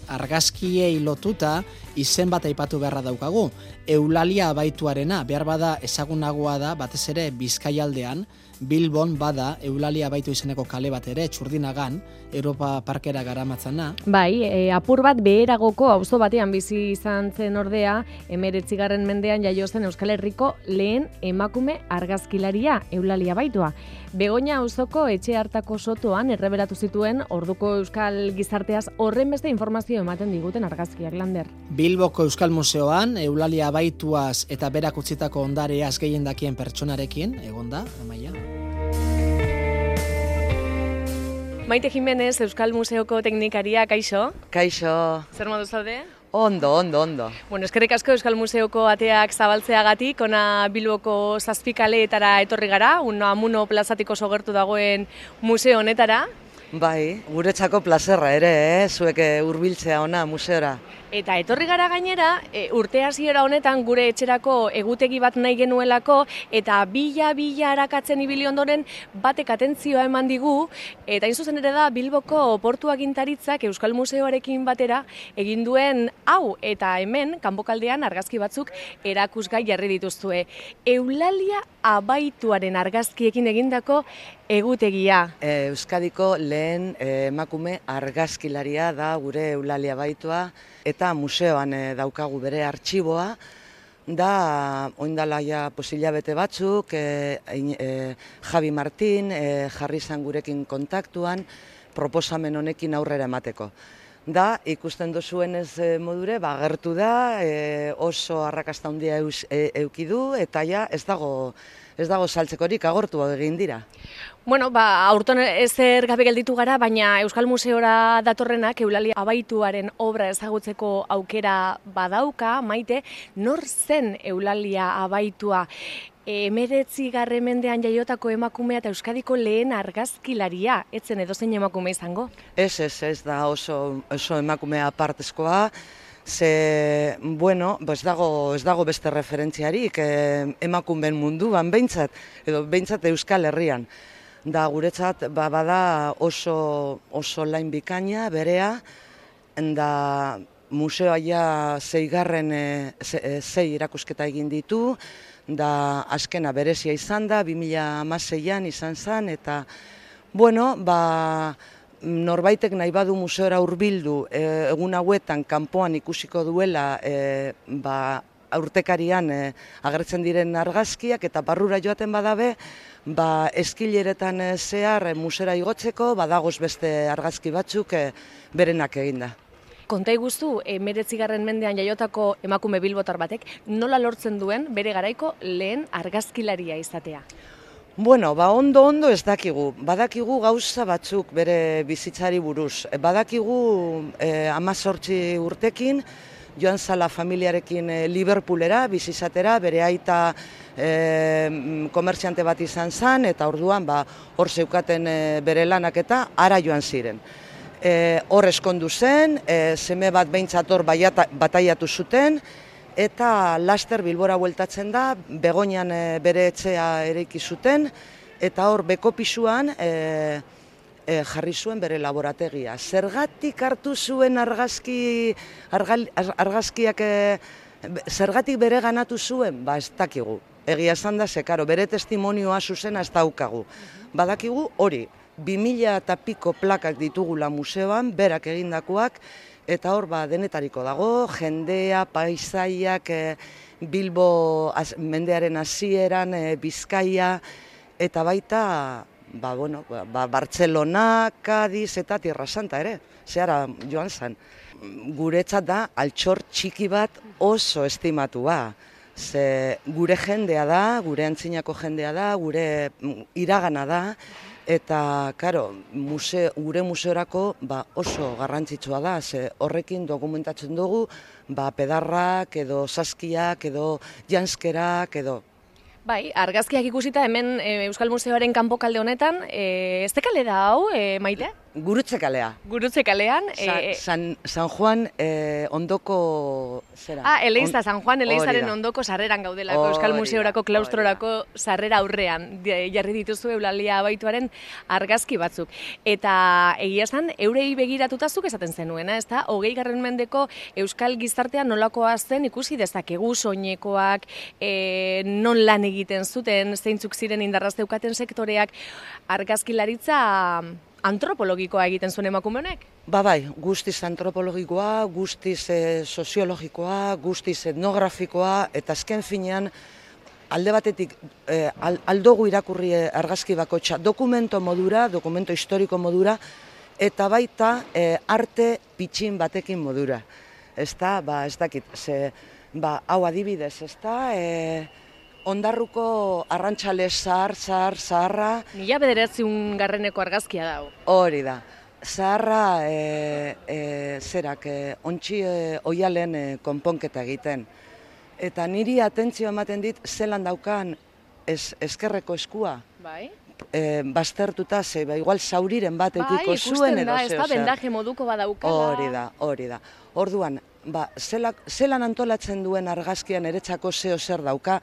argazkiei lotuta izen bat aipatu beharra daukagu. Eulalia abaituarena, behar bada ezagunagoa da, batez ere Bizkaialdean, Bilbon bada Eulalia abaitu izeneko kale bat ere, Txurdinagan, Europa Parkera garamatzana. Bai, apur bat beheragoko auzo batean bizi izan zen ordea, 19. mendean jaio zen Euskal Herriko lehen emakume argazkilaria, Eulalia abaitua. Begoña auzoko etxe hartako sotoan erreberatu zituen orduko euskal gizarteaz horren beste informazio ematen diguten argazkiak, Lander. Bilboko Euskal Museoan Eulalia abaituaz eta berak utzitako ondareaz gehien dakien pertsonarekin, egonda, Amaia. Maite Jimenez, Euskal Museoko teknikaria, kaixo? Kaixo. Zer modu zaude? Ondo. Bueno, eskerrik asko Euskal Museoko ateak zabaltzeagatik, ona Bilboko 7 kaleetara etorri gara, Unamuno plazatik oso gertu dagoen museo honetara. Bai, guretzako plazerra ere, zuek hurbiltzea ona museora. Eta etorri gara gainera, urte hasiera honetan gure etxerako egutegi bat nahi genuelako, eta bila arakatzen ibili ondoren batek atentzioa eman digu, eta hain zuzen ere da Bilboko Portu Agintaritzak Euskal Museoarekin batera egin duen hau, eta hemen, kanpokaldean argazki batzuk erakusgai jarri dituzue. Eulalia abaituaren argazkiekin egindako egutegia. Euskadiko lehen emakume argazkilaria da gure Eulalia abaitua, eta museoan daukagu bere artxiboa, da oindala ja hilabete batzuk, Javi Martin jarri izan gurekin kontaktuan, proposamen honekin aurrera emateko. Da, ikusten dozuenez modure, agertu da, oso arrakasta handia eukidu, eta ja ez dago saltzekorik, agortu egin dira. Bueno, aurton ezer gabe gelditu gara, baina Euskal Museora datorrenak Eulalia abaituaren obra ezagutzeko aukera badauka, Maite, nor zen Eulalia abaitua? 19. mendean jaiotako emakumea eta Euskadiko lehen argazkilaria, etzen edozein emakume izango? Ez da oso emakumea apartezkoa, ze, bueno, ez dago beste referentziarik emakumeen munduan behintzat, edo behintzat Euskal Herrian. Da guretzat bada oso lain bikaina, berea, da museoa ja 6 irakusketa egin ditu, da azkena berezia izan da, 2016an izan zen, eta, bueno, norbaitek nahi badu museora hurbildu, egun hauetan kanpoan ikusiko duela, urtekarian agertzen diren argazkiak, eta barrura joaten badabe, eskileretan zehar musera igotzeko, badagoz beste argazki batzuk berenak eginda. Konta iguzu, 19. mendean jaiotako emakume bilbotar batek, nola lortzen duen bere garaiko lehen argazkilaria izatea? Bueno, ondo ez dakigu. Badakigu gauza batzuk bere bizitzari buruz. Badakigu 18 urtekin, joan zala familiarekin Liverpoolera, bizizatera, bere aita komertziante bat izan zen, eta orduan hor zeukaten bere lanak eta ara joan ziren. Hor eskondu zen, seme bat behintzat hor bataiatu zuten, eta laster Bilbora bueltatzen da, Begoñan bere etxea eraiki zuten, eta hor beko pisuan jarri zuen bere laborategia. Zergatik hartu zuen argazkiak, zergatik bere ganatu zuen? Ez dakigu. Egia esan da, zekaro, bere testimonioa zuzena ez daukagu. Badakigu hori, 2000 eta piko plakak ditugula museoan, berak egindakoak, eta hor denetariko dago, jendea, paisaiak, Bilbo mendearen hasieran, Bizkaia, eta baita, Bartzelona, Kadiz eta Tierra Santa ere, zehara joan zen. Guretzat da, altxor txiki bat oso estimatua. Ze gure jendea da, gure antzinako jendea da, gure iragana da, eta, karo, gure museorako oso garrantzitsua da, ze horrekin dokumentatzen dugu, pedarrak, edo saskiak, edo janskerak, edo... Bai, argazkiak ikusita hemen Euskal Museoaren kanpokalde honetan, ez dekale da hau, Maite? Gurutze kalea. Gurutze kalean. San Juan ondoko zera. Eleiza, San Juan Eleizaren ondoko sarreran gaudelako, Euskal Museorako klaustrorako sarrera aurrean jarri dituzu Eulalia abaituaren argazki batzuk. Eta egia esan, eurei begiratuta zuk esaten zenuena, ezta? 20. mendeko Euskal gizartea nolakoa zen ikusi dezakegu soinekoak, non lan egiten zuten, zeintzuk ziren indarraz zeukaten sektoreak, argazkilaritza antropologikoa egiten zuen emakume honek? Bai, guztiz antropologikoa, guztiz soziologikoa, guztiz etnografikoa, eta azken finean, alde batetik aldogu irakurri argazki bakotxa dokumento modura, dokumento historiko modura, eta baita arte pitxin batekin modura. Ez dakit, hau adibidez, ez da, Ondarruko arrantxale zaharra. 1900 argazkia dau. Hori da. Zaharra ontsi oialen konponketa egiten. Eta niri atentzio ematen dit zelan daukan ezkerreko eskua. Bai. Baztertuta, igual zauriren bat eukiko zuen edo ez da, bendaje moduko badaukala. Hori da. Orduan, zelan antolatzen duen argazkian eretzako zer dauka,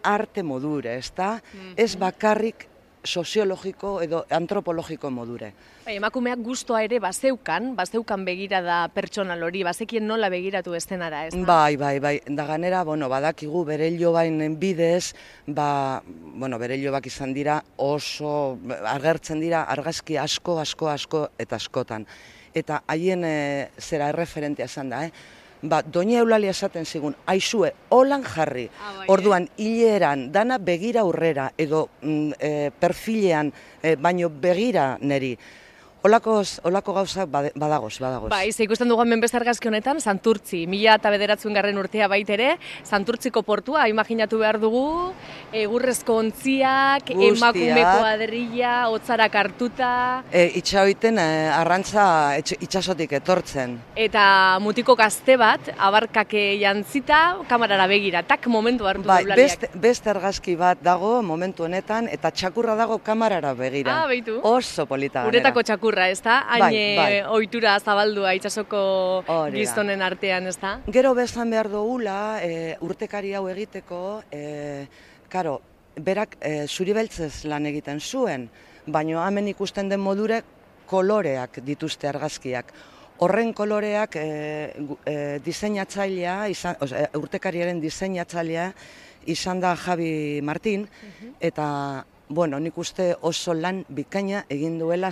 arte modure, ez da? Ez bakarrik soziologiko edo antropologiko modure. Emakumeak gustoa ere bazeukan begirada pertsonal hori, bazekien nola begiratu estenara, ez da? Bai. Da ganera, badakigu bere ilobainen bidez, bere ilobak izan dira oso agertzen dira argazki asko eta askotan. Eta haien zera erreferentea izan da, Doña Eulalia esaten zigun, aizue, holan jarri. Orduan, hileran, dana begira aurrera, edo perfilean, baino begira neri. Olako gauzak badagoz. Ikusten dugu hemen beste argazki honetan, Santurtzi, 1909 urtea baitere, Santurtziko portua, imaginatu behar dugu, egurrezko ontziak, emakume kuadrilla, hotzarak hartuta. Itxaoiten arrantza itxasotik etortzen. Eta mutiko gazte bat, abarkake jantzita, kamarara begira, tak momentu hartu Eulaliak. Beste argazki bat dago momentu honetan, eta txakurra dago kamarara begira. Beitu. Oso polita ganera. Uretako txakurra, ez da? Hain ohitura zabaldua itxasoko gizonen artean, ez da? Gero bezan behar dugula, urtekari hau egiteko, berak zuri beltzez lan egiten zuen, baina hemen ikusten den modure koloreak dituzte argazkiak. Horren koloreak diseinatzailea, urtekariaren diseinatzailea izan da Javi Martin, eta nik uste oso lan bikaina egin duela,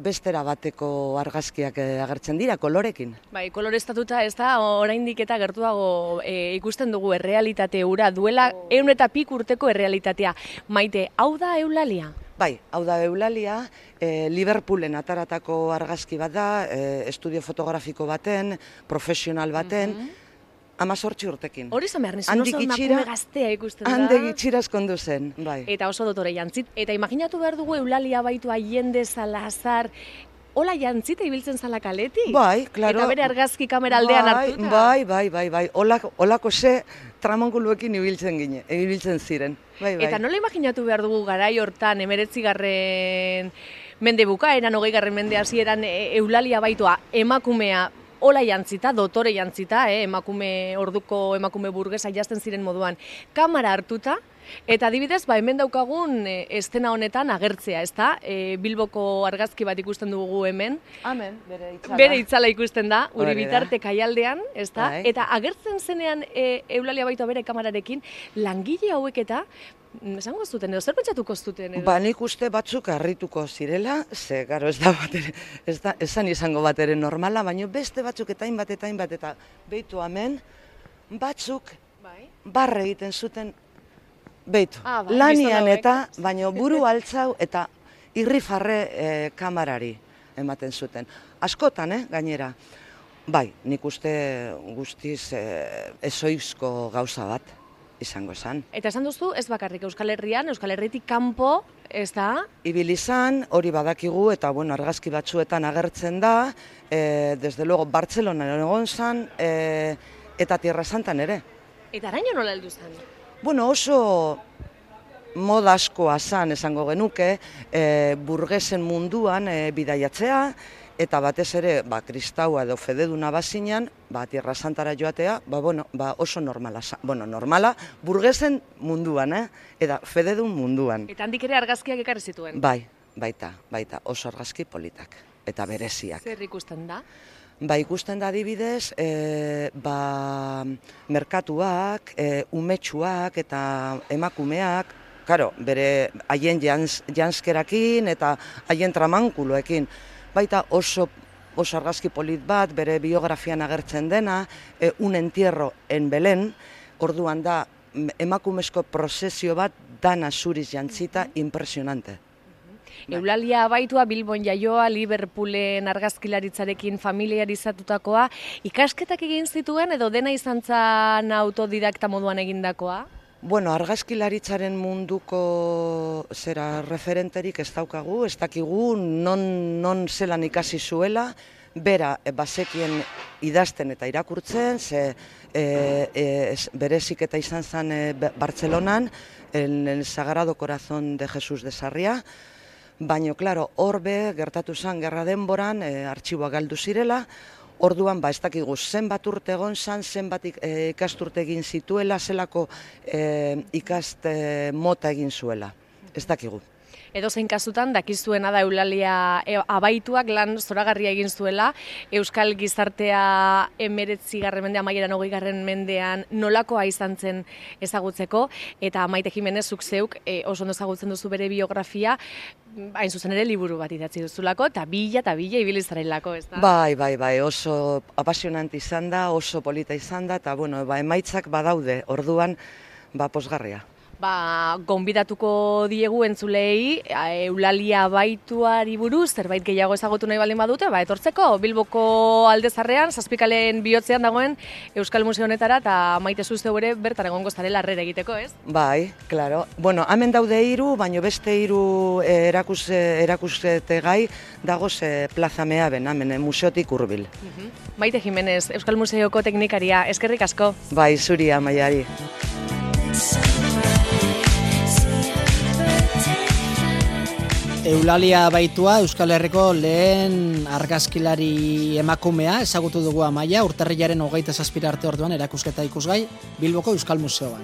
bestera bateko argazkiak agertzen dira, kolorekin. Koloreztatuta ez da, oraindik eta gertuago ikusten dugu errealitate hura, duela 100 eta pik urteko errealitatea. Maite, hau da Eulalia? Bai, hau da Eulalia, Liverpoolen ataratako argazki bat da, estudio fotografiko baten, profesional baten, 18 urtekin. Hori zan behar nizun, oso emakume gaztea ikusten da. Handik itxiraz kondu zen, bai. Eta oso dotore jantzit. Eta imaginatu behar dugu Eulalia baitu Allende, Salazar, hola jantzita ibiltzen zala kaletik? Bai, klaro. Eta bere argazki kamera aldean hartuta? Bai. Olako tramonguluekin ibiltzen ziren. Bai. Eta nola imaginatu behar dugu garai hortan, 19. mende bukaeran, 20. mende hasieran Eulalia baitua emakumea, hola jantzita, dotore jantzita, orduko emakume burgesa jazten ziren moduan, kamera hartuta, eta adibidez, hemen daukagun estena honetan agertzea, ez da? Bilboko argazki bat ikusten dugu hemen. Hemen, bere itzala ikusten da, Uribitarte kaialdean, ez da? Eta agertzen zenean Eulalia baitua bere kamerarekin, langile hauek eta, esango zuten, edo zer pentsatuko zuten? Nik uste batzuk harrituko zirela, garo esan izango bat ere normala, baina beste batzuk eta hainbat eta beitu hemen, batzuk barre egiten zuten, beitu, lanian eta, baina buru altzau eta irrifarre kamarari ematen zuten. Askotan, gainera. Bai, nik uste guztiz ezoizko gauza bat izango esan. Eta esan duzu, ez bakarrik Euskal Herrian, Euskal Herritik kanpo, ez da? Ibil izan, hori badakigu, eta argazki batzuetan agertzen da, desde luego, Bartzelonan egon zan, eta Tierra Santan ere. Eta araño nola heldu zen? Oso moda askoa zan esango genuke, burgesen munduan bidaiatzea, eta batez ere, kristaua edo fededuna bazinan, Tierra Santara joatea, oso normala, normala, burgesen munduan, eta fededun munduan. Eta handik ere argazkiak ekarri zituen? Baita, oso argazki politak, eta bereziak. Zer ikusten da? Ikusten da adibidez, merkatuak, umetsuak eta emakumeak, bere haien janskerakin eta haien tramankuloekin. Baita oso argazki polit bat, bere biografian agertzen dena, un entierro en Belén, orduan da emakumezko prozesio bat dana zuriz jantzita impresionante. Eulalia Abaitua Bilbon jaioa, Liverpoolen argazkilaritzarekin familiarizatutakoa, ikasketak egin zituen edo dena izan zen autodidakta moduan egindakoa? Argazkilaritzaren munduko referenterik ez daukagu, ez dakigu non zelan ikasi zuela, bera bazekien idazten eta irakurtzen, berezik eta izan zen Bartzelonan, el Sagrado Corazón de Jesús de Sarria, baina, horbe gertatu zen gerra denboran, artxiboak galdu zirela, orduan, ez dakigu zenbat urte egon zen, zenbat ikasturte egin zituela, zelako ikaste mota egin zuela, ez dakigu. Edozein kasutan, dakizuena da Eulalia Abaituak lan zoragarria egin zuela, Euskal gizartea 19. mendean, amaieran 20. mendean nolakoa izan zen ezagutzeko, eta Maite Jimenez zuk zeuk oso ondo ezagutzen duzu bere biografia, hain zuzen ere liburu bat idatzi duzulako, eta bila ibili zarelako, ez da? Bai, oso apasionante izan da, oso polita izan da, eta emaitzak badaude, orduan pozgarria. Gonbidatuko diegu entzulei Eulalia Abaituari buruz, zerbait gehiago ezagutu nahi baldin badute, etortzeko Bilboko Aldezarrean, Zazpikalen bihotzean dagoen Euskal Museo honetara, eta Maite zuzeu ere bertan egongo zarela harrera egiteko, ez? Bai, klaro. Hemen daude 3, baina beste 3 erakustete gai dagoz Plaza Meaben, hemen museotik hurbil. Maite Jimenez, Euskal Museoko teknikaria, eskerrik asko. Bai, zuri Amaiari. Eulalia Abaitua, Euskal Herriko lehen argazkilari emakumea, ezagutu dugu Amaia, urtarrilaren 27 arte orduan erakusketa ikusgai Bilboko Euskal Museoan.